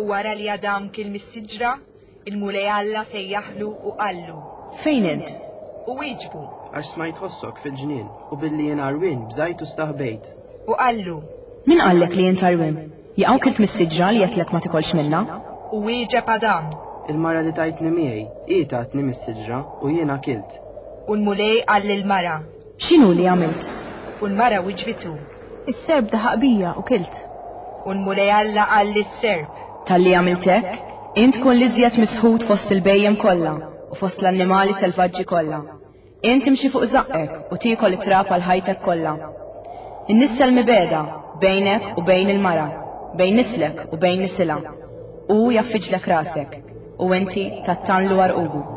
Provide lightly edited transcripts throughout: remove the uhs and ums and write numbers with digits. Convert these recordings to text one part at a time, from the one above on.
U wara li Adam kiel mis-siġra, il-Mulej Alla sejjaħlu u qallu. Fejn int? U wieġbu. Għax smajt ħossok fil-ġnien, u billi jien għarwien bżajt u staħbejt. U qallu. Min qallek li int għarwien? Jaqaw kilt mis-siġra li għedtlek ma tikolx minnha? U wieġeb Adam. Il-mara li tajtni miegħi, hi tatni mis-siġra, u jiena kilt. U l-Mulej qal lill-mara. X'inhu li għamilt? U l-mara wiġbitu. Is-serp daħaq bija u kilt. U l-Mulej Alla qal lis-serp. Talli għamilt hekk, int tkun l-iżjed misħut fost il-bhejjem kollha u fost l-annimali selvaġġi kollha. Int timxi fuq żaqqek u tiekol it-trab għal ħajtek kollha. Innissel mibegħda bejnek u bejn il-mara, bejn nislek u bejn nisilha. Hu jgħaffiġlek rasek, u inti tattanlu għarqubu.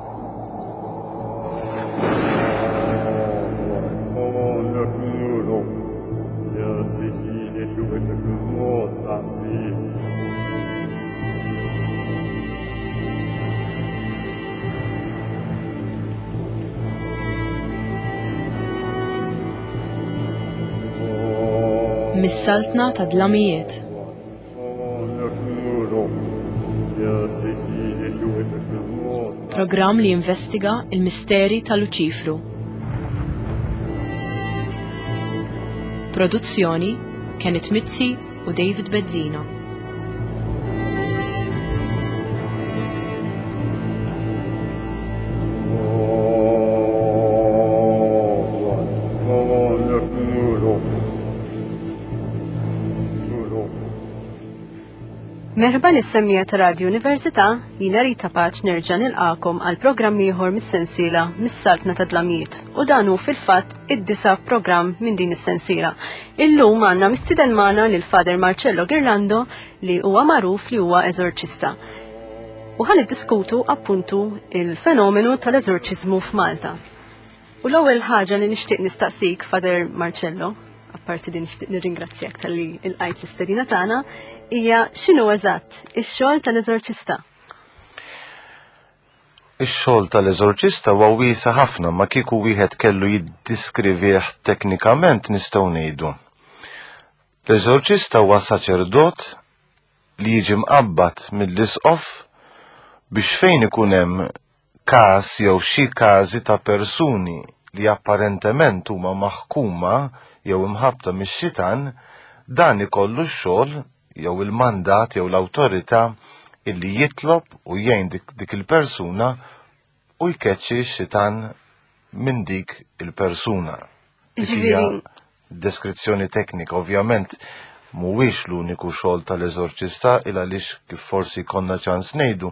Mis-saltna ta' dlamijiet. Programm li jinvestiga il-misteri ta' Luċifru. Produzzjoni Kenneth Mizzi u David Bezzina. Merħba lis-semmija ta' Radio Università, jina Rita Paċ nerġa' nilqakom għal programm ieħor mis-sensiela Mis-Saltna ta' Dlamijiet u dan hu fil-fatt id-disa programm minn din is-sensiela. Illum għandna mistieden magħna lil Father Marcello Girlando li huwa magħruf li huwa eżorċista. U ħan iddiskutu appuntu il-fenomenu tal-eżorċiżmu f'Malta. U l-ewwel ħaġa li nixtieq nistaqsik, Father Marcello, apparti li nixtieq nirringrazzjak talli ilqajt l-istedina tagħna, hija x'inhu eżatt ix-xogħol tal-eżorċista? Ix-xogħol tal-eżorċista huwa wiesa' ħafna ma kieku wieħed kellu jiddiskrivih teknikament nistgħu ngħidu. L-eżorċista huwa saċerdot li jiġi mqabbad mill-isqof biex fejn ikun hemm każ jew xi każi ta' persuni li apparentement huma maħkuma jew imħabbta mix-xitan, dan ikollu x-xogħol jew il-mandat jew l-awtorità illi jitlob u jgħin dik, dik il-persuna u jkeċċi x-xitan minn dik il-persuna. Dik hija deskrizzjoni teknika, ovvjament mhuwiex l-uniku xogħol tal-eżorċista il għaliex kif forsi konna ċans ngħidu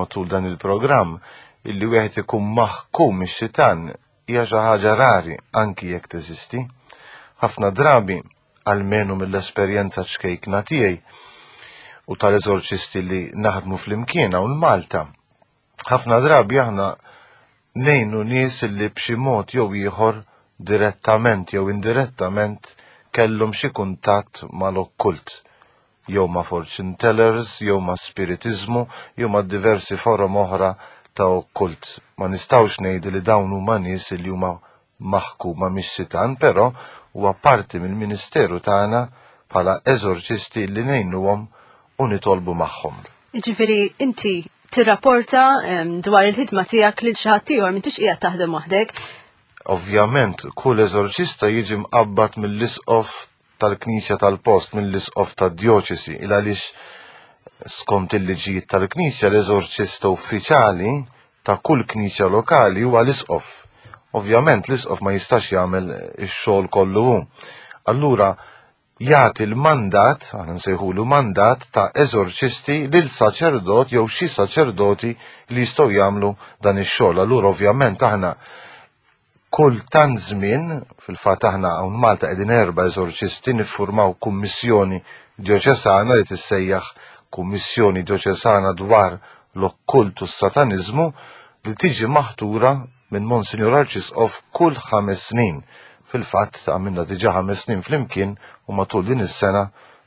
matul dan il-programm illi wieħed ikun maħkum ix-xitan hija xi ħaġa rari anki jekk teżisti. Ħafna drabi almenu mill-esperjenza ċkejkna tiegħi u tal-eżorċisti li naħdmu flimkien hawn Malta. Ħafna drabi aħna ngħinu nies li b'xi mod jew ieħor direttament jew indirettament kellhom xi kuntatt mal-okkult, jew ma' fortune tellers, jew ma' spiritiżmu, jew ma' diversi forom oħra ta' okkult. Ma nistgħux ngħidu li dawn huma nies li huma maħkuma mix-xitan, però huwa parti mill-ministeru tagħna bħala eżorċisti li ngħinuhom u nitolbu magħhom. Jiġifieri inti tirrapporta dwar il-ħidma tiegħek lil xi ħadd ieħor m'intix qiegħed taħdem waħdek. Ovvjament, kull eżorċista jiġi mqabbad mill-isqof tal-Knisja tal-post, mill-isqof tad-djoċesi, il għaliex skont il-liġijiet tal-Knisja l-eżorċista uffiċjali ta' kull knisja lokali huwa l-isqof. Ovvjament l-isqof ma jistax jagħmel ix-xogħol kollu hu. Allura jagħti l-mandat, aħna nsejħulu mandat ta' eżorċisti lil saċerdot jew xi saċerdoti li jistgħu jagħmlu dan ix-xogħol. Allura ovvjament aħna kull tant żmien, fil-fatt aħna hawn Malta qegħdin erba' eżorċisti niffurmaw kummissjoni djoċesana li tissejjaħ Kummissjoni Djoċesana dwar l-Okkult u s-Sataniżmu li tiġi maħtura minn Monsinjur Arċisqof kull ħames snin. Fil-fatt, għamilna diġà ħames snin flimkien u matul din is-sena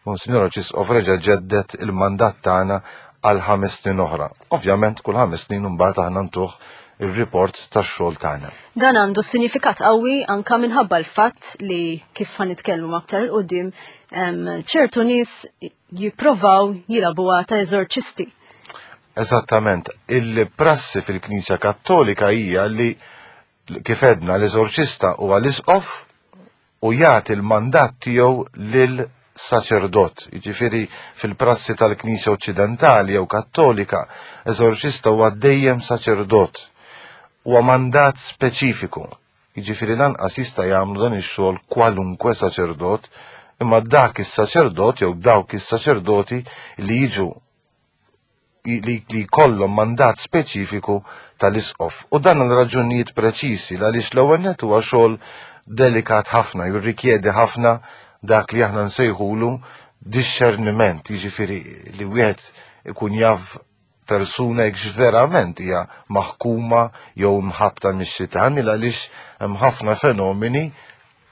Monsinjur Arċisqof reġa' ġedded il-mandat tagħna għal 5 snin oħra. Ovvjament kull 5 snin imbagħad aħna ntuh ir-report tax-xogħol tagħna. Dan għandu sinifikat qawwi anka minħabba l-fatt li kif ħa nitkellmu aktar 'il quddiem ċertu nies jipprovaw jilagħbuha ta' eżorċisti. Eżattament, il-prassi fil-Knisja Kattolika hija li, kif għedna, l-eżorċista huwa l-isqof u jagħti l-mandat tiegħu lil saċerdot. Jiġifieri fil-prassi tal-Knisja Oċċidentali jew Kattolika, eżorċista huwa dejjem saċerdot. Huwa mandat speċifiku. Jiġifieri lanqas jista' jagħmlu dan ix-xogħol kwalunkwe saċerdot, imma dak is-saċerdot jew dawk is-saċerdoti li jiġu li jkollhom mandat speċifiku tal-isqof. U dan għal raġunijiet preċisi, għaliex l-ewwel nett huwa xogħol delikat ħafna, jirrikjedi ħafna dak li aħna nsejħulu discerniment, jiġifieri li wieħed ikun jaf persuna jekk verament hija maħkuma jew mħabbta mix-xitan, għaliex hemm ħafna fenomeni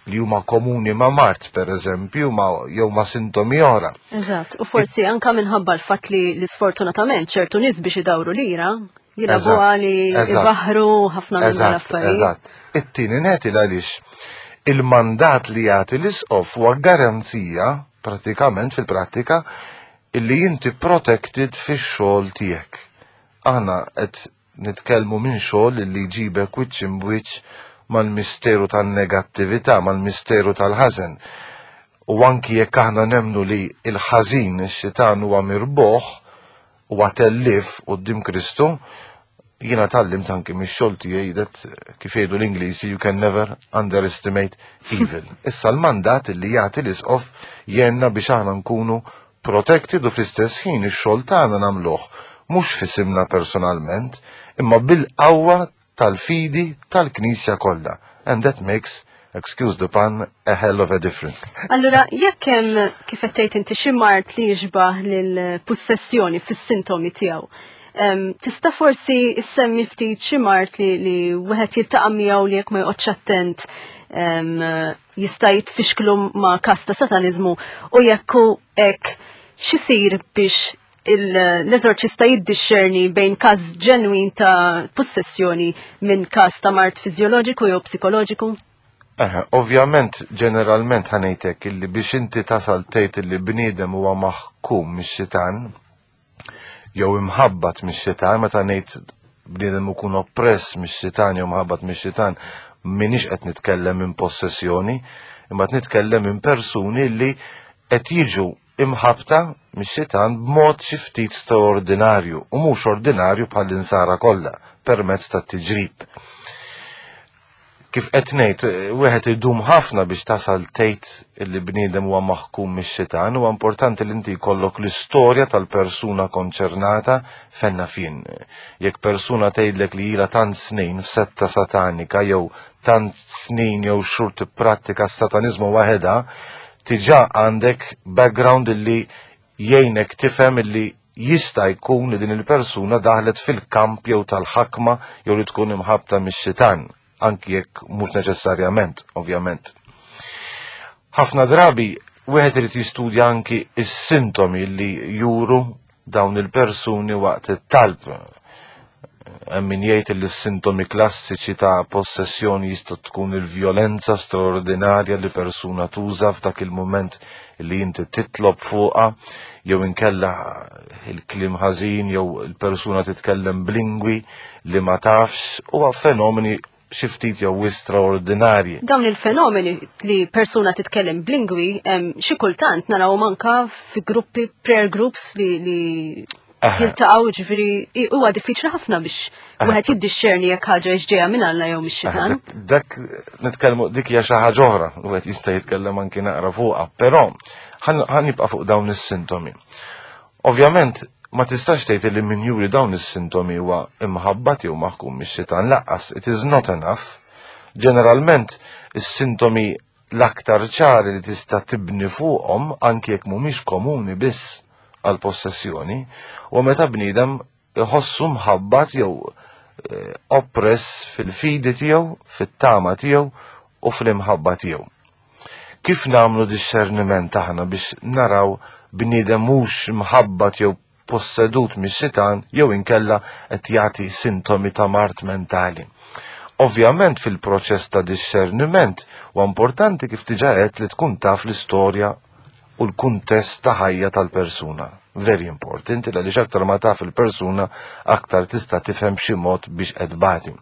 li huma komuni ma' mard, per eżempju, jew ma' sintomi oħra. Eżatt, u forsi anka minħabba l-fatt li l-sfortunatament ċertu nies biex idawru lira, jilagħbu li jbaħru ħafna minn l-affarijiet. Eżatt. It-tieni nett għaliex il-mandat li jagħti l-isqof huwa garanzija pratikament fil-prattika illi inti protected fix-xogħol tiegħek. Aħna qed nitkellmu minn xogħol li jġibek wiċċ imbwiċċ mal-misteru tan-negattività, mal-misteru tal-ħażen. U anki jekk aħna nemnu li il-ħażin, ix-xitan, huwa mirbuħ u tellif quddiem Kristu, jiena tgħallimt anki mix-xogħol tiegħi that, kif jgħidu l-Ingliżi, you can never underestimate evil. Issa l-mandat li jagħti l-isqof jgħinna biex aħna nkunu protected u fl-istess ħin ix-xogħol tagħna nagħmluh mhux f'isimna personalment, imma bil-qawwa tal-fidi tal-Knisja kollha. And that makes, excuse the pun, a hell of a difference. Allura, jekk hemm, kif qed tgħid inti, xi mard li jixbah lill-possessjoni fis-sintomi tiegħu, tista' forsi issemmi ftit xi mard li wieħed jiltaqa' miegħu li jekk ma joqgħodx attent jista' jitfixklu ma' każ ta' sataniżmu, u jekk hu hekk, x'isir biex l-eżorċista jiddixxerni bejn każ ġenwin ta' possessjoni minn każ ta' mard fiżjoloġiku jew psikoloġiku? Ovvjament, ġeneralment ħa ngħidlek illi biex inti tasal tgħid illi bniedem huwa maħkum mix-xitan jew imħabbat mix-xitan, meta ngħid bniedem ikun oppress mix-xitan jew mħabbat mix-xitan, minix qed nitkellem minn possessjoni, imma qed nitkellem minn persuni li qed jiġu imħabta mix-xitan b'mod xi ftit straordinarju u mhux ordinarju bħall-insara kollha permezz tat-tiġrib. Kif qed ngħid, wieħed idum ħafna biex tasal tgħid li bniedem huwa maħkum mix-xitan. Huwa importanti li inti jkollok l-istorja tal-persuna konċernata fenna fin. Jekk persuna tgħidlek li ilha tant snin f'setta satanika jew tant snin jew xhur tipprattika s-sataniżmu waħedha, diġà għandek background illi jgħinek tifhem illi jista' jkun li din il-persuna daħlet fil-kamp jew tal-ħakma jew li tkun imħabta mix-xitan, anki jekk mhux neċessarjament, ovvjament. Ħafna drabi wieħed irid jistudja anki is-sintomi li juru dawn il-persuni waqt it-talb. Hemm min jgħid li s-sintomi klassiċi ta' possessjoni jista' tkun il-vjolenza straordinarja li persuna tuża f'dak il-moment li inti titlob fuqha, jew inkella il-kliem ħażin, jew il-persuna titkellem b'lingwi li ma tafx, huwa fenomeni xi ftit jew straordinarji. Dawn il-fenomeni li persuna titkellem b'lingwi, xi kultant naraw anka fi gruppi, prayer groups li jiltaqgħu, ġifieri huwa diffiċli ħafna biex wieħed jiddixxerni jekk ħaġa ġejja minn Alla jew mix-xitan. Dak nitkellmu, dik hija xi ħaġa oħra, wieħed jista' jitkellem anki naqra fuqha, però ħa nibqa' fuq dawn is-sintomi. Ovvjament ma tistax tgħid li min juri dawn is-sintomi huwa imħabbat jew maħkum mix-xitan lanqas, it is not enough. Ġeneralment is-sintomi l-aktar ċari li tista' tibni fuqhom, anki jekk mhumiex komuni biss għal possessjoni, u meta bniedem iħossu mħabbat jew oppress fil-fidi tiegħu, fit-tama tiegħu u fl-imħabba tiegħu. Kif nagħmlu discerniment aħna biex naraw bniedem mhux mħabbat jew possedut mix-xitan jew inkella qed jagħti sintomi ta' mard mentali. Ovvjament fil-proċess ta' discerniment huwa importanti kif diġà għedt li tkun taf l-istorja u l-kuntest ta' ħajja tal-persuna. Very important, għaliex aktar ma taf il-persuna aktar tista' tifhem b'xi mod biex qed tbati.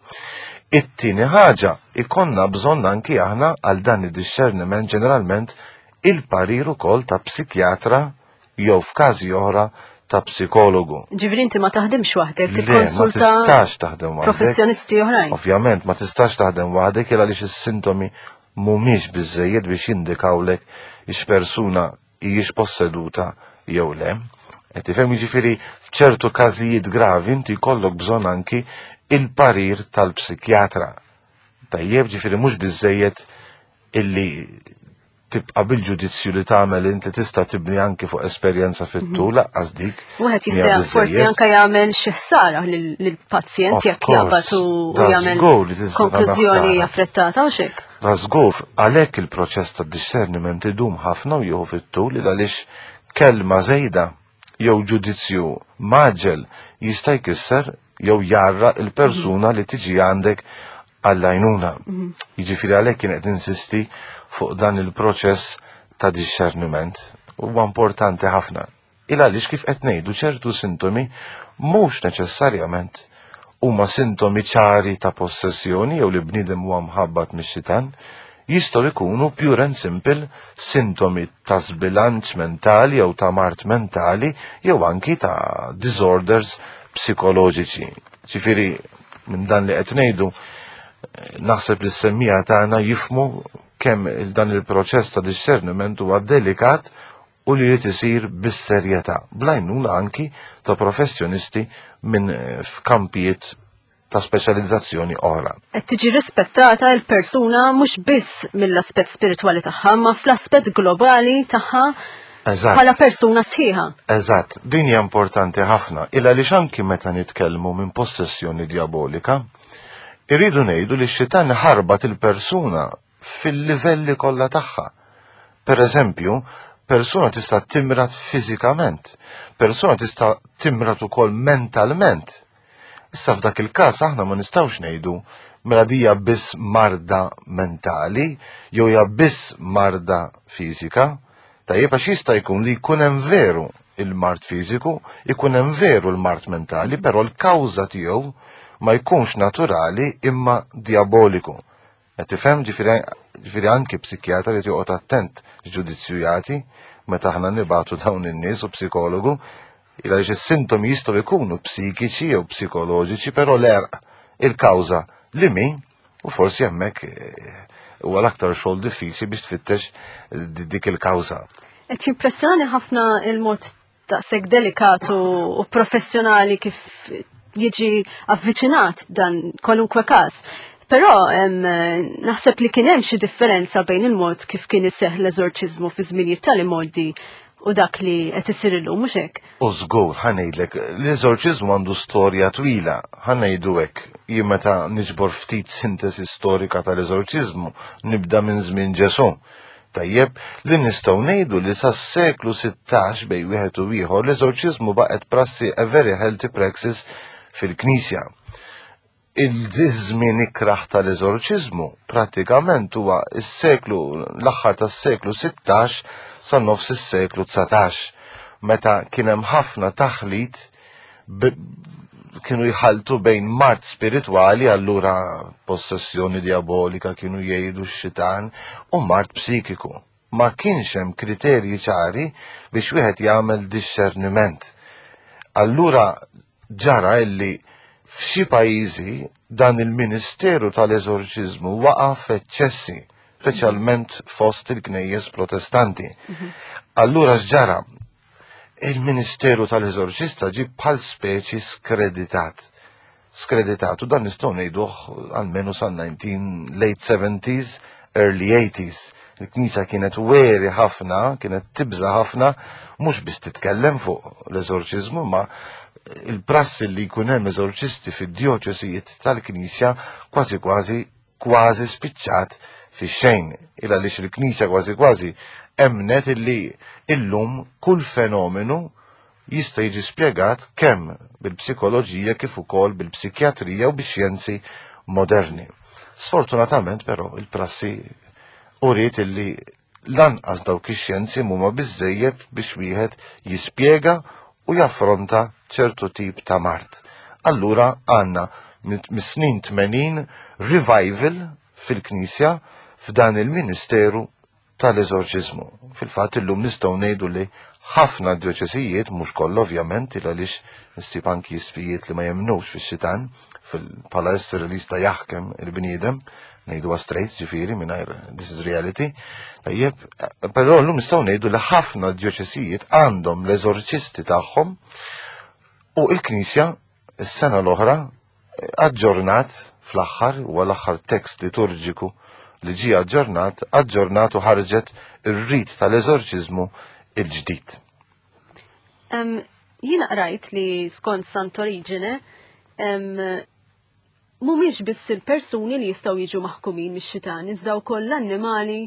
It-tieni ħaġa, ikonna bżonn anki aħna għal dan id-discerniment ġeneralment il-parir ukoll ta' psikjatra jew f'każi oħra ta' psikologu. Ġifieri inti ma taħdimx waħdek, tikkonsulta ma tistax taħdem waħdek. Professjonisti oħrajn. Ovvjament ma tistax taħdem waħdek il għaliex is-sintomi mhumiex biżżejjed biex jindikawlek ix persuna hijiex posseduta jew le. Qed tifhem jiġifieri f'ċertu każijiet gravi inti jkollok bżonn anki il-parir tal-psikjatra. Tajjeb ġifieri mhux biżżejjed illi tibqa' bil-ġudizzju li tagħmel int li tista' tibni anki fuq esperjenza fit-tul mhm. laqqas dik. Wieħed jista' forsi anke jagħmel xi ħsara lill-pazjent jekk jaqbad u jagħmel konklużjoni affrettata u xek. Da żgur għalhekk il-proċess ta' discerniment idum ħafna u jieħu fit-tul għaliex kelma żejda jew ġudizzju maġel jista' jkisser jew jarra il-persuna li tiġi għandek għall-għajnuna. Mhm. Jiġifieri għalhekk kien qed insisti fuq dan il-proċess ta' discerniment huwa importanti ħafna. Il għaliex kif qed ngħidu ċertu sintomi mhux neċessarjament huma sintomi ċari ta' possessjoni jew li bniedem huwa mħabbat mix-xitan, jistgħu jkunu pure and simple sintomi ta' sbilanċ mentali jew ta' mard mentali jew anki ta' disorders psikoloġiċi. Ġifieri minn dan li qed ngħidu naħseb li s-semmija tagħna jifmu kemm dan il-proċess ta' discerniment huwa delikat u li jrid isir bis-serjetà, bl-għajnuna anki ta' professjonisti minn eh, f'kampijiet ta' speċjalizzazzjoni oħra. Qed tiġi rispettata l-persuna mhux biss mill-aspett spiritwali tagħha, ma fl-aspett globali tagħha bħala persuna sħiħa. Eżatt, din hija importanti ħafna, illa li anki meta nitkellmu minn possessjoni diabolika, irridu ngħidu li x-xitan ħarbat il-persuna fil-livelli kollha tagħha. Per eżempju, persuna tista' timrat fiżikament, persuna tista' timrat ukoll mentalment. Issa f'dak il-każ aħna ma nistgħux ngħidu mela dija biss marda mentali jew hija biss marda fiżika. Tajjeb għax jista' jkun li jkun hemm veru il-mard fiżiku, ikun hemm veru l-mard mentali, però l-kawża tiegħu ma jkunx naturali imma diaboliku. Qed tifhem ġifieri anki psikjatra li joqgħod attent x'ġudizzju jagħti meta aħna nibatu dawn in-nies u psikologu għaliex is-sintomi jistgħu jkunu psikiċi jew psikoloġiċi, però l-erq il-kawża li min u forsi hemmhekk eh, huwa l-aktar xogħol diffiċli biex tfittex dik il-kawża. Qed jimpressjoni ħafna il-mod daqshekk delikat u professjonali kif jiġi avviċinat dan kwalunkwe każ. Però naħseb li kien hemm xi differenza bejn il-mod kif kien iseħħ l-eżorċiżmu fi żminijiet tal-imgħoddi u dak li qed isir illum mhux hekk. U żgur, ħa ngħidlek, l-eżorċiżmu għandu storja twila, ħa ngħidu hekk, jien meta niġbor ftit sintesi storika tal-eżorċiżmu nibda minn żmien Ġesù. Tajjeb, li nistgħu ngħidu li sas-seklu 16 bejn wieħed u ieħor l-eżorċiżmu baqgħet prassi a very healthy praxis fil-Knisja. Il-żmien ikrah tal-eżorċiżmu prattikament huwa s-seklu l-aħħar tas-seklu 16 sa nofs is-seklu 19 meta kien hemm ħafna taħlit kienu jħaltu bejn mart spiritwali allura possessjoni diabolika kienu jgħidu x-xitan u mart psikiku. Ma kienx hemm kriterji ċari biex wieħed jagħmel discerniment. Allura ġara illi f'xi pajjiżi dan il-ministeru tal-eżorċiżmu waqa' f'eċċessi, speċjalment fost il-knejjes protestanti. Mhm. Allura x'ġara? Il-ministeru tal-eżorċista ġie bħal speċi skreditat. Skreditat, u dan nistgħu ngħiduh almenu sa 19 late 70s, early 80s. Il-Knisja kienet weri ħafna, kienet tibża ħafna, mhux biss titkellem fuq l-eżorċiżmu, ma il-prassi li jkun hemm eżorċisti fid-djoċesijiet tal-Knisja kważi kważi kważi spiċċat fix-xejn. Il għaliex il-Knisja kważi kważi emnet illi illum kull fenomenu jista' jiġi spjegat kemm bil-psikoloġija kif ukoll bil-psikjatrija u bix-xjenzi moderni. Sfortunatament però il-prassi uriet illi lanqas dawk ix-xjenzi mhuma biżejjed biex wieħed jispjega u jaffronta ċertu tip ta' mard. Allura għandna mis-snin 80 revival fil-Knisja f'dan il-ministeru tal-eżorċiżmu. Fil-fatt illum nistgħu ngħidu li ħafna djoċesijiet, mhux kollha ovvjament, il għaliex issib anki isfijiet li ma jemmnux fix-xitan, bħala esseri li jista' jaħkem il-bniedem, ngħidu straight ġifieri mingħajr this is reality. Tajjeb, però llum nistgħu ngħidu li ħafna djoċesijiet għandhom l-eżorċisti tagħhom u l-Knisja s-sena l-oħra aġġornat fl-aħħar, huwa l-aħħar tekst liturġiku li ġie aġġornat, aġġornat u ħarġet ir-rit tal-eżorċiżmu il-ġdid. Jiena qrajt li skont Sant'Origine mhumiex biss il-persuni li jistgħu jiġu maħkumin mix-xitan, iżda wkoll l-annimali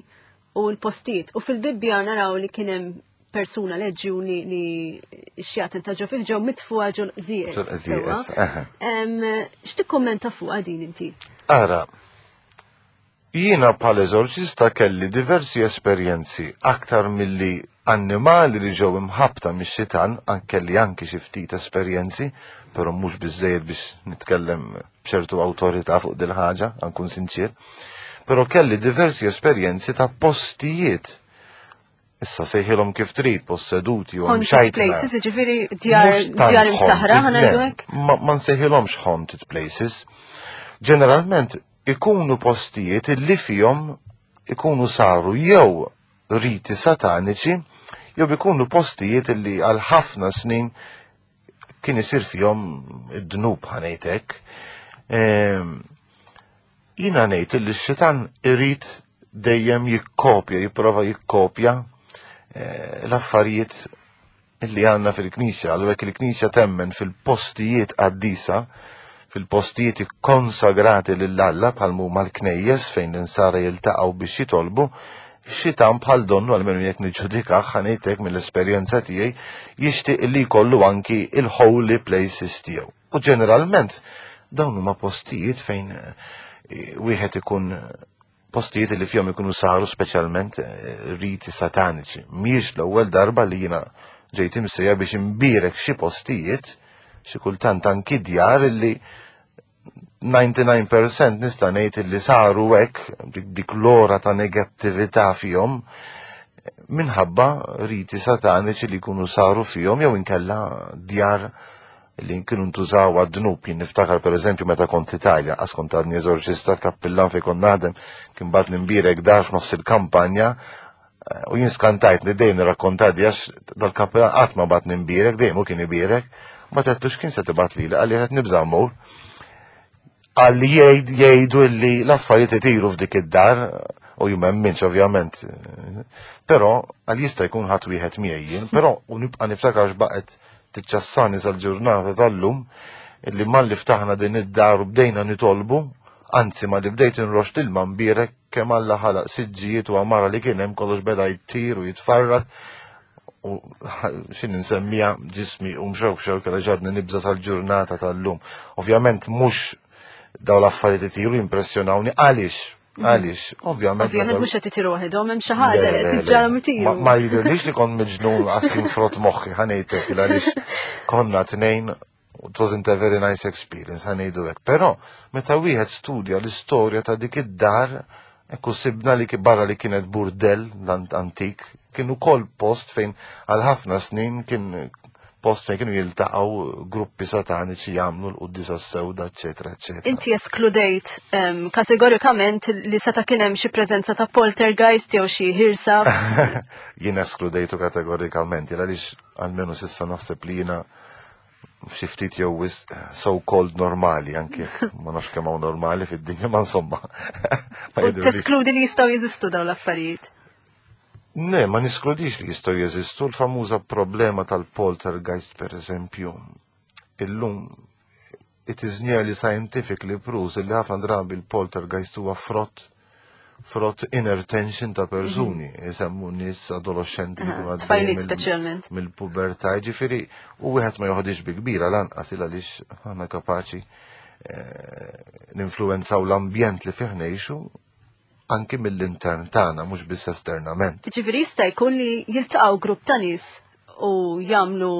u l-postijiet. U fil-Bibbja naraw li kien hemm persuna leġjuni li x-xjaten ta' ġo fih ġew mitfuha ġol qżieqeż. X'tikkummenta fuqha din inti? Ara, jiena bħal eżorċista kelli diversi esperjenzi aktar milli annimali li ġew imħabbta mix-xitan, kelli anki xi ftit esperjenzi, però mhux biżejjed biex nitkellem b'ċertu awtorità fuq dil-ħaġa, nkun sinċir. Però kelli diversi esperjenzi ta' postijiet Issa sejħilhom kif trid, posseduti u Haunted places, ġifieri djar imsaħra ħanajdu hekk? Ma nsejħilhomx haunted places. Ġeneralment ikunu postijiet illi fihom ikunu saru jew riti sataniċi jew ikunu postijiet illi għal ħafna snin kien isir fihom id-dnub ħanejtek. Ehm, jiena ngħid li x-xitan irid dejjem jikkopja, jipprova jikkopja eh, l-affarijiet li għandna fil-Knisja, għallu jekk il-Knisja temmen fil-postijiet qaddisa, fil-postijiet ikkonsagrati lil Alla bħal huma l-knejjes fejn l-insara jiltaqgħu biex jitolbu, xitan bħal donnu għalmenu jekk niġġudikah ħanejtek mill-esperjenza tiegħi jixtieq li jkollu anki il-holy places tiegħu. U ġeneralment dawn huma postijiet fejn eh, wieħed ikun postijiet li fihom ikunu saru speċjalment eh, riti sataniċi. Mhijiex l-ewwel darba li jiena ġejt imsejja biex imbierek xi postijiet, xi kultant anki djar li 99% nista' ngħid li saru hekk dik l-ora ta' negattività fihom minħabba riti sataniċi li jkunu saru fihom jew inkella djar li kienu ntużaw għad-dnub. Jien niftakar per eżempju meta kont l-Italja, għas kont għadni eżorċista kappillan fejn kont naħdem, kien bat nimbierek dar f'nofs il-kampanja eh, u jien skantajt li dejjem nirrakkontadi għax dal-kappillan qatt ma bat nimbierek, dejjem u kien ibierek, ma għedtlu x'kien se tibgħat lili, qalli qed nibża' mmur. Qalli jgħidu li l-affarijiet itiru f'dik id-dar u jien m'emminx ovvjament. Però għal jista' jkun ħadd wieħed miegħi jien, però u nibqa' niftakar x'baqgħet tiċċassani sal-ġurnata tal-lum illi malli ftaħna din id-dar u bdejna nitolbu, anzi malli bdejt inroxx l-ilma mbierek kemm Alla ħalaq siġġijiet u għamara li kien hemm kollox beda jtir u jitfarrak u xin nsemmija ġismi u mxewk xewk għal ġadni nibża sal-ġurnata tal-lum. Ovvjament mhux daw l-affarijiet itiru jimpressjonawni għaliex Għaliex, ovvjament. Ovvjament mhux qed itiru waħedhom hemm xi ħaġa li qed tiġġarhom itiru. Ma jidhirlix li kont miġnun għas kien frott moħħi ħanejtek għaliex konna tnejn it wasn't a very nice experience, ħanejdu hekk. Però meta wieħed studja l-istorja ta' dik id-dar, ekku sibna li barra li kienet burdell antik, kien ukoll post fejn għal ħafna snin kien post fejn kienu jiltaqgħu gruppi sataniċi jagħmlu l-quddisa sewda, eċetera, eċetera. Inti eskludejt um, kategorikament li seta' kien hemm xi preżenza ta' poltergeist jew xi ħirsa. Jien eskludejtu kategorikament, għaliex almenu s'issa naħseb li jiena xi ftit jew wisq so called normali anke ma nafx kemm hawn normali fid-dinja ma insomma. Teskludi li jistgħu jeżistu dawn l-affarijiet. Ne, ma niskludix li jistgħu jeżistu l-famuża problema tal-poltergeist per eżempju. Illum it is nearly scientifically proved li ħafna drabi l-poltergeist huwa frott frott inner tension ta' persuni, jisemmu nies adolescenti li jkunu għaddejjin Tfajliet speċjalment. mill-pubertà, ġifieri u wieħed ma joħodix bi kbira lanqas il għaliex aħna kapaċi ninfluwenzaw l-ambjent li fih ngħixu anki mill-intern tagħna mhux biss esternament. Ġifieri jista' jkun li jiltaqgħu grupp ta' nies u jagħmlu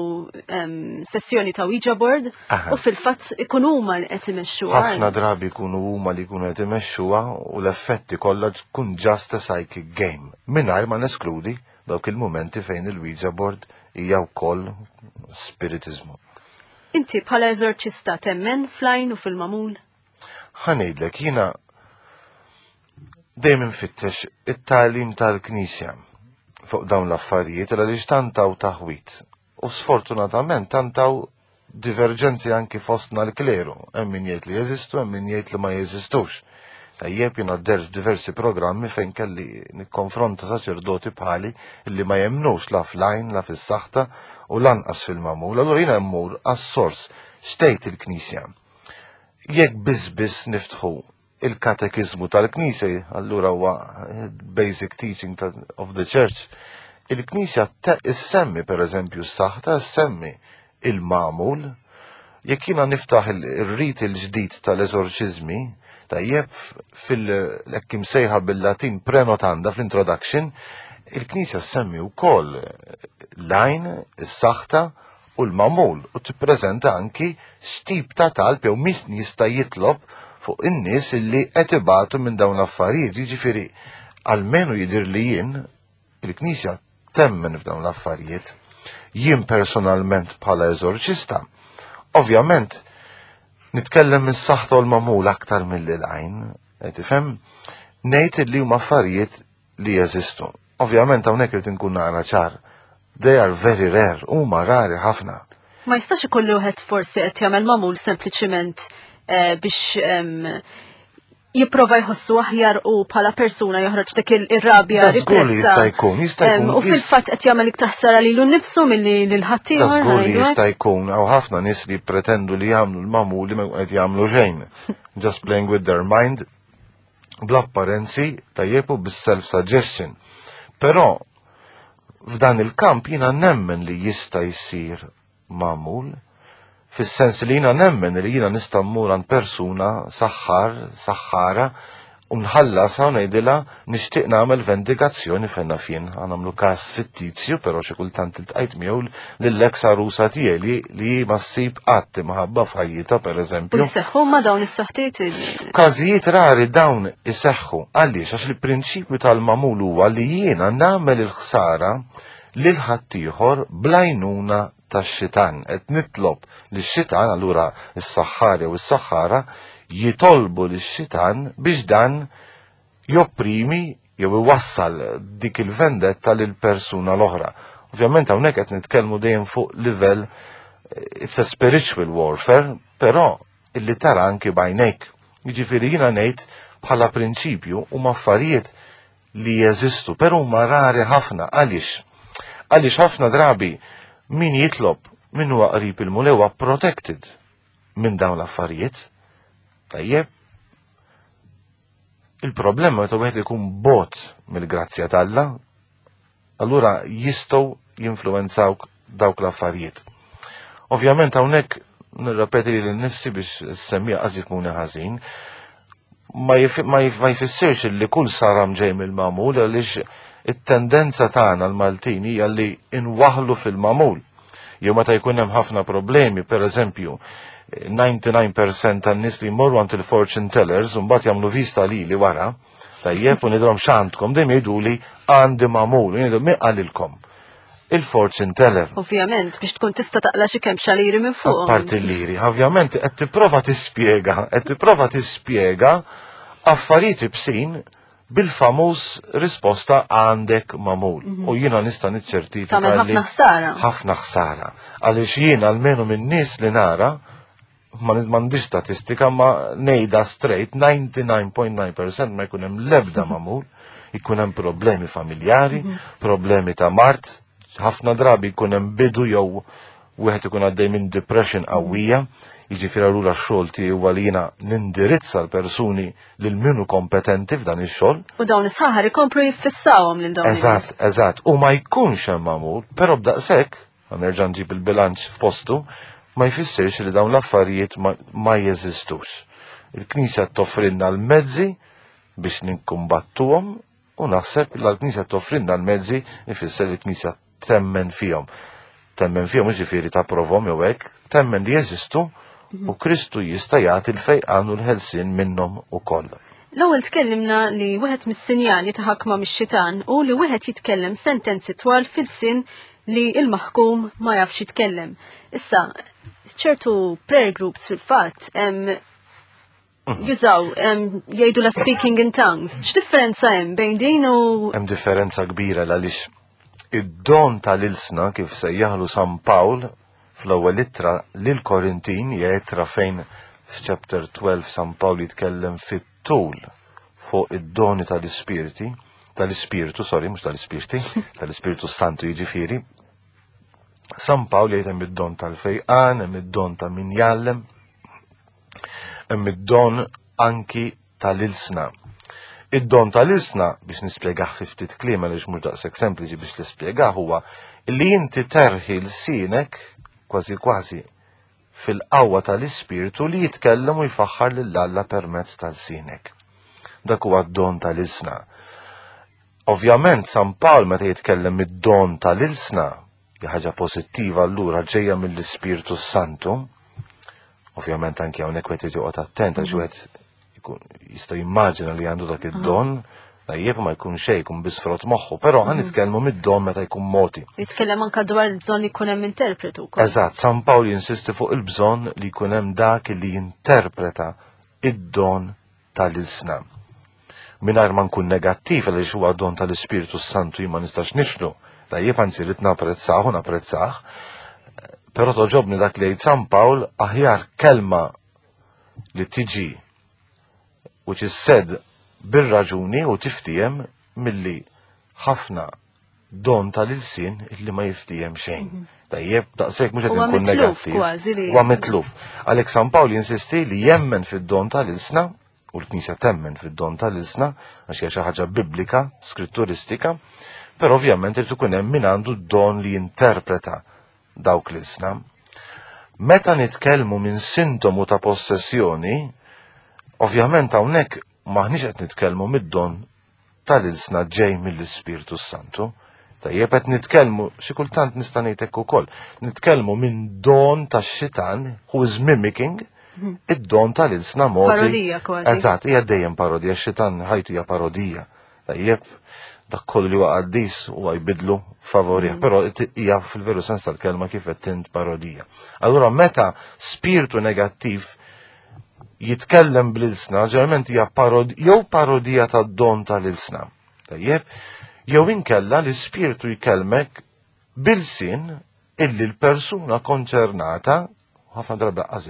sessjoni ta' Ouija board u fil-fatt ikunu huma li qed imexxuha. Ħafna drabi jkunu huma li jkunu qed imexxuha u l-effetti kollha tkun just a psychic game. Mingħajr ma neskludi dawk il-mumenti fejn il-Ouija board hija wkoll spiritiżmu. Inti bħala eżorċista temmen fl-għajn u fil-magħmul? Ħa ngħidlek, jiena dejjem infittex it-tagħlim tal-Knisja fuq dawn l-affarijiet għaliex tantaw taħwit. U sfortunatament tantaw diverġenzi anki fostna l-kleru. Hemm min jgħid li jeżistu, hemm min jgħid li ma jeżistux. Tajjeb jiena dert diversi programmi fejn kelli nikkonfronta saċerdoti bħali li ma jemnux la fl-għajn, la fis-saħta u lanqas fil-magħmul. Allura jiena mmur għas-sors x'tgħid il-Knisja. Jekk biss biss niftħu il-katekiżmu tal-Knisja, allura huwa basic teaching of the Church, il-Knisja issemmi per eżempju s-saħta, issemmi il-magħmul. Jekk jiena niftaħ il-rit il-ġdid tal-eżorċiżmi, tajjeb fil-hekk imsejħa bil-Latin prenotanda fl-introduction, il-Knisja ssemmi wkoll l-għajn, is-saħta u l-magħmul u tippreżenta anki x'tip ta' talb jew min jista' jitlob fuq in-nies illi qed ibatu minn dawn l-affarijiet. Jiġifieri almenu jidhir li jien il-Knisja temmen f'dawn l-affarijiet. Jien personalment bħala eżorċista, ovvjament nitkellem mis-saħta u l-magħmul aktar milli l-għajn, qed tifhem, ngħid li huma affarijiet li jeżistu. Ovvjament hawnhekk irid inkun nara ċar. They are very rare, huma rari ħafna. Ma jistax ikollu wieħed forsi qed jagħmel magħmul sempliċiment biex jipprova jħossu aħjar u bħala persuna joħroġ dik ir-rabja. Da żgur li jista' jkun, jista' jkun. U fil-fatt qed jagħmel iktar ħsara lilu nnifsu milli lil ħaddieħor. Da żgur li jista' jkun, hawn ħafna nies li jippretendu li jagħmlu l-magħmul li ma qed jagħmlu xejn. Just playing with their mind bl-apparenzi tajjeb u bis-self-suggestion. Però f'dan il-kamp jiena nemmen li jista' jsir magħmul, fis-sens li jiena nemmen li jiena nista' mmur għand persuna saħħar, saħħara, u nħallasha u ngħidilha nixtieq nagħmel vendikazzjoni fejn naf jien, ħa nagħmlu każ fittizju, però xi kultant iltqajt miegħu lill-eks għarusa tiegħi li li ma ssib qatt imħabba f'ħajjitha pereżempju. U jseħħu ma dawn is-saħtiet? F'każijiet rari dawn iseħħu. Għaliex? Għax il-prinċipju tal-magħmul huwa li jiena nagħmel il-ħsara lil ħaddieħor bl-għajnuna tax-xitan. Qed nitlob lix-xitan, allura s-saħħar jew is-saħħara jitolbu lix-xitan biex dan jopprimi jew iwassal dik il-vendetta lil persuna l-oħra. Ovvjament hawnhekk qed nitkellmu dejjem fuq livell it's a spiritual warfare, però illi tara anki b'għajnejk. Jiġifieri jiena ngħid bħala prinċipju huma affarijiet li jeżistu, però huma rari ħafna. Għaliex? Għaliex ħafna drabi min jitlob min huwa qrib il-Mulej huwa protected minn dawn l-affarijiet. Tajjeb. Il-problema meta wieħed ikun bot mill-grazzja t'Alla, allura jistgħu jinfluwenzawk dawk l-affarijiet. Ovvjament hawnhekk nirrepeti lili nnifsi biex s-semmija qas jifhmuni ħażin, ma jfissirx li kull saram ġej mill-magħmul għaliex it-tendenza tagħna l-Maltin hija li inwaħlu fil-magħmul. Jew meta jkun hemm ħafna problemi, per eżempju, 99% tan-nies li jmorru għand il-fortune tellers u mbagħad jagħmlu vista lili wara, tajjeb u ngħidilhom x'għandkom, dejjem jgħiduli għandi magħmul, u jgħidu min qalilkom? Il-fortune teller. Ovvjament, biex tkun tista' taqla' xi kemm xaliri minn fuq. Apparti l-liri, ovvjament qed tipprova tispjega, qed tipprova tispjega affarijiet ibsin bil-famuż risposta għandek magħmul. Mhm. U jiena nista' niċċertifika. Tagħmel ħafna ħsara. Ħafna ħsara. Għaliex jiena almenu minn nies li nara ma m'għandix statistika ma ngħidha straight 99.9% ma jkun hemm l-ebda magħmul, jkun hemm problemi familjari, mhm. problemi ta' mart, ħafna drabi jkun hemm bidu jew wieħed ikun għaddej minn depression qawwija. Jiġifieri allura x-xogħol tiegħi huwa li jiena nindirizza l-persuni lil min hu kompetenti f'dan ix-xogħol. U dawn is-saħar ikomplu jiffissawhom lil dawn. Eżatt, eżatt. U ma jkunx hemm magħmul, però b'daqshekk, nerġa' nġib il-bilanċ f'postu, ma jfissirx li dawn l-affarijiet ma, ma jeżistux. Il-Knisja toffrilna l-mezzi biex ninkumbattuhom u naħseb li l-Knisja toffrilna l-mezzi ifisser li l-Knisja temmen fihom. Temmen fihom jiġifieri tapprovhom jew hekk, temmen li jeżistu u Kristu jista' jagħti l-fejqan u l-ħelsien minnhom ukoll. L-ewwel tkellimna li wieħed mis-sinjali ta' ħakma mix-xitan hu li wieħed jitkellem sentenzi twal fil-sin li l-maħkum ma jafx jitkellem. Issa, ċertu prayer groups fil-fatt jużaw jgħidu la speaking in tongues. X'differenza hemm bejn din u Hemm differenza kbira għaliex id-don tal-ilsna kif sejjaħlu San Pawl fl-ewwel ittra lil Korintin hija ittra fejn f'chapter 12 San Pawl jitkellem fit-tul fuq id-doni tal-ispirti, tal-ispirtu, sorry, mhux tal-ispirti, tal-ispirtu Santu jiġifieri. San Pawl jgħid hemm id-don tal-fejqan, hemm id-don ta' min jgħallem, Hemm id-don anki tal-ilsna. Id-don tal-ilsna, biex nispjegah fi ftit kliem għaliex mhux daqshekk sempliċi biex tispjegah huwa li inti terħi lsienek kważi kważi fil-qawwa tal-ispirtu li jitkellem u jfaħħar lil Alla permezz tal-sinek. Dak huwa d-don tal-ilsna. Ovvjament San Pawl meta jitkellem id-don tal-ilsna, Hi ħaġa pożittiva allura ġejja mill-Ispirtu Santu. Ovvjament anki hawnhekk wieħed irid joqgħod attent għax wieħed jista' jimmaġina li għandu dak id-don, tajjeb ma jkun xejn jkun biss frott moħħu, però ħan nitkellmu mid-don meta jkun moti. Jitkellem anka dwar il-bżonn li jkun hemm interpretu wkoll. Eżatt, San Pawl jinsisti fuq il-bżonn li jkun hemm dak li jinterpreta id-don tal-ilsna. Mingħajr ma nkun negattiv għaliex huwa don tal-Ispirtu Santu jien ma nistax nixlu, tajjeb anzi rrid napprezzah u napprezzah, però toġobni dak li jgħid San Pawl aħjar kelma li tiġi which is said bir-raġuni u tiftiem milli ħafna don tal-ilsien illi ma jiftiem xejn. Mhm. Tajjeb, daqshekk mhux qed nkun negattiv. Huwa mitluf. Għalhekk San Pawl jinsisti li jemmen fid-don tal-ilsna u l-Knisja temmen fid-don tal-ilsna għax hija xi ħaġa biblika, skritturistika, però ovvjament irid ikun hemm min għandu d-don li jinterpreta dawk l-ilsna. Meta nitkellmu minn sintomu ta' possessjoni, ovvjament hawnhekk maħniex qed nitkellmu mid-don tal-ilsna ġej mill-Ispirtu Santu. Tajjeb qed nitkellmu xi kultant nista' ngħid hekk ukoll. Nitkellmu minn don tax-xitan who is mimicking mhm. id-don tal-ilsna modi. Parodija kważi. Eżatt, hija dejjem parodija, x-xitan ħajtu hija parodija. Tajjeb, dak kollu li huwa qaddis huwa jbidlu favorih, mhm. però hija fil-veru sens tal-kelma kif qed tint parodija. Allura meta spiritu negattiv jitkellem bl-ilsna, ġeneralment hija parod jew parodija tad-don tal-ilsna. Tajjeb, jew inkella l-ispirtu jkellmek bil-sin illi l-persuna konċernata, ħafna drabi laqqas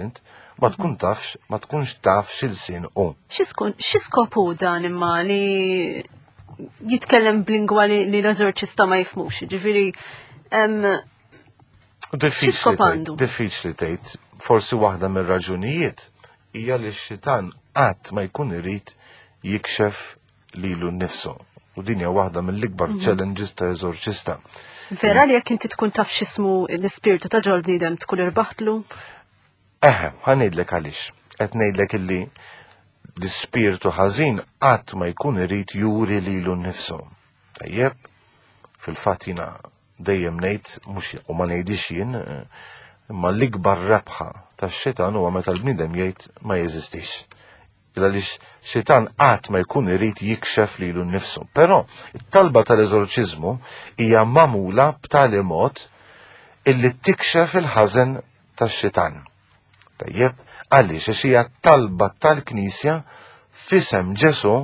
ma tkun tafx, ma tkunx taf x'ilsien hu. Xi skop hu dan imma li jitkellem b'lingwa li l-eżorċista ma jifhmux, ġifieri Diffiċli diffiċli tgħid, forsi waħda mir-raġunijiet hija li x-xitan qatt ma jkun irid jikxef lilu nnifsu. U din hija waħda mill-ikbar mhm. challenges ta' eżorċista. Vera li jekk inti tkun taf x'ismu l-ispirtu ta' ġol bniedem tkun irbaħtlu? Eħe, ħa ngħidlek għaliex. Qed ngħidlek illi l-ispirtu ħażin qatt ma jkun irid juri lilu nnifsu. Tajjeb, fil-fatt jiena dejjem ngħid mhux u ma ngħidix jien, imma l-ikbar rebħa tax-xitan huwa meta l-bniedem jgħid ma jeżistix. Għaliex xitan qatt ma jkun irid jikxef lilu nnifsu. Però it-talba tal-eżorċiżmu hija magħmula b'tali mod illi tikxef il-ħażen tax-xitan. Tajjeb, għaliex għax hija talba tal-Knisja f'isem Ġesù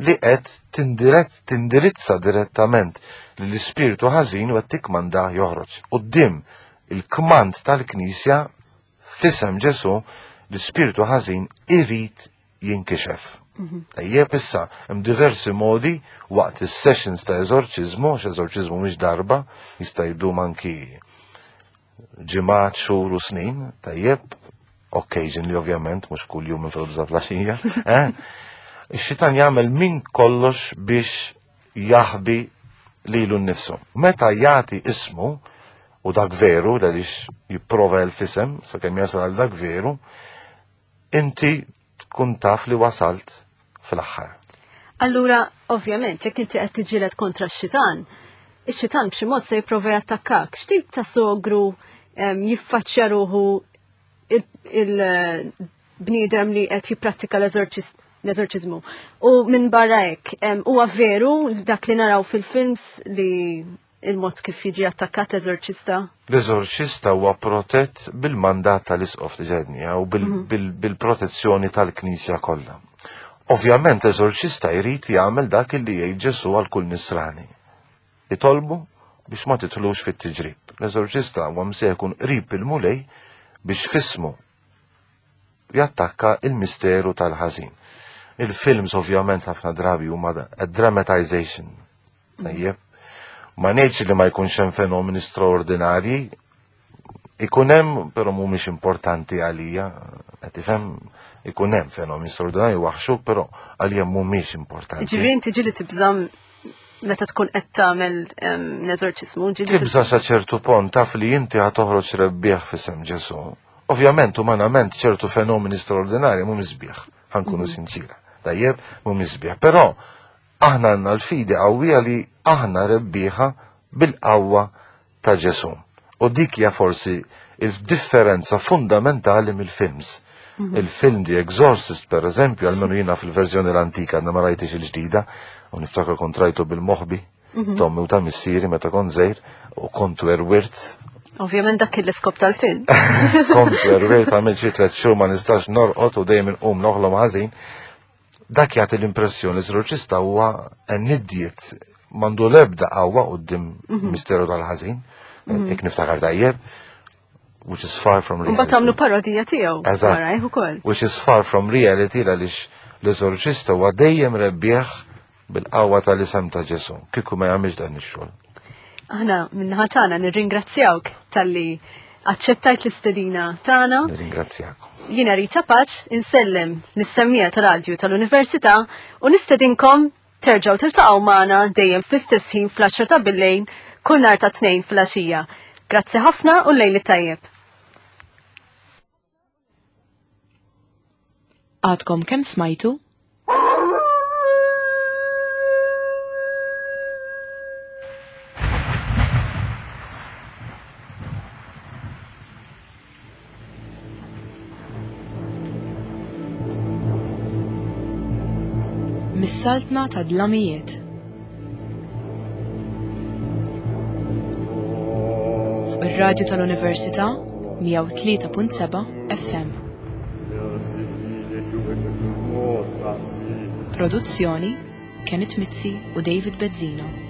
li qed tindirizza direttament lill-ispirtu ħażin u qed tikkmandah joħroġ. Quddiem il-kmand tal-Knisja f'isem Ġesù l-ispirtu ħażin irid jinkixef. Mhm. Tajjeb issa hemm diversi modi waqt is-sessions ta' eżorċiżmu, għax eżorċiżmu mhix darba, jista' jdum anki ġimgħat, xhur u snin, tajjeb. Occasionally, ovvjament, mhux kull jum minn filgħodu flaxija. Eh? Ix-xitan jagħmel minn kollox biex jaħbi lilu nnifsu. Meta jagħti ismu, u dak veru, għaliex jipprova l-fisem, sakemm jasal għal dak veru, inti tkun taf li wasalt fl-aħħar. Allura, ovvjament, jekk inti qed tiġġieled kontra x-xitan, ix-xitan b'xi mod se jipprova jattakkak. X'tip ta' sogru jiffaċċja ruħu il-bniedem li qed jipprattika l-eżorċiżmu. U minn barra hekk, huwa veru dak li naraw fil-films li il-mod kif jiġi attakkat l-eżorċista? L-eżorċista huwa protett bil-mandat tal-isqof li ġedni u mhm. bil-protezzjoni tal-Knisja kollha. Ovvjament l-eżorċista jrid jagħmel dak li jgħid Ġesu għal kull nisrani. Itolbu biex ma titlux fit-tiġrib. L-eżorċista huwa msejjaħ ikun qrib il-Mulej biex fismu jattakka il-misteru tal-ħażin. Il-films ovvjament ħafna drabi huma a dramatization. Tajjeb. Ma ngħidx li ma jkunx hemm fenomeni straordinarji, ikun hemm, però mhumiex importanti għalija, qed tifhem, ikun hemm fenomeni straordinarji waħxu, però għalija mhumiex importanti. Ġifieri inti ġieli tibżam meta tkun qed tagħmel l-eżorċismu, ġieli Tibża sa ċertu pont taf li inti ħa toħroġ rebbieħ f'isem Ġesù. Ovvjament, umanament, ċertu fenomeni straordinarji mhumiex sbieħ, ħankunu mhm. sinċira. Tajjeb, mhumiex sbieħ. Però aħna għandna l-fidi qawwija li aħna rebbieħa bil-qawwa ta' Ġesù. U dik hija forsi il-differenza fundamentali mill-films. Mhm. Il-film The Exorcist, per eżempju, għalmenu jina fil-verżjoni l-antika, għadna ma rajtix il-ġdida, u niftakar kont rajtu bil-moħbi, mhm. tommi u ta' missieri meta kont żejr, u kont werwirt. Ovvjament dak kien l-iskop tal-film. Kont werwirt għamil xi tliet xhur ma nistax norqod u dejjem inqum noħlom ħażin. Dak jagħti l-impressjoni li l-eżorċista huwa an idiot m'għandu l-ebda qawwa quddiem mhm. misteru tal-ħażin, mhm. jekk niftakar tajjeb, which is far from reality. Mbagħad għamlu parodija tiegħu. Eżatt. Which is far from reality għaliex l-eżorċista huwa dejjem rebbieħ bil-qawwa tal-isem ta' Ġesu, kieku ma jagħmilx dan ix-xogħol. Aħna minnaħa tagħna nirringrazzjawk talli aċċettajt l-istedina tagħna. Nirringrazzjakom. Jiena Rita Paċ insellem lis-semmija ta' radju tal-Università u nistedinkom terġgħu tiltaqgħu magħna dejjem fl-istess ħin fl-10 ta' billejn kull nhar ta' tnejn fil-għaxija. Grazzi ħafna u lejli tajjeb. Għadkom kemm smajtu? Mis-saltna ta' dlamijiet. Fuq ir-radju tal-Università 103.7 FM. Produzzjoni Kenneth Mizzi u David Bezzina.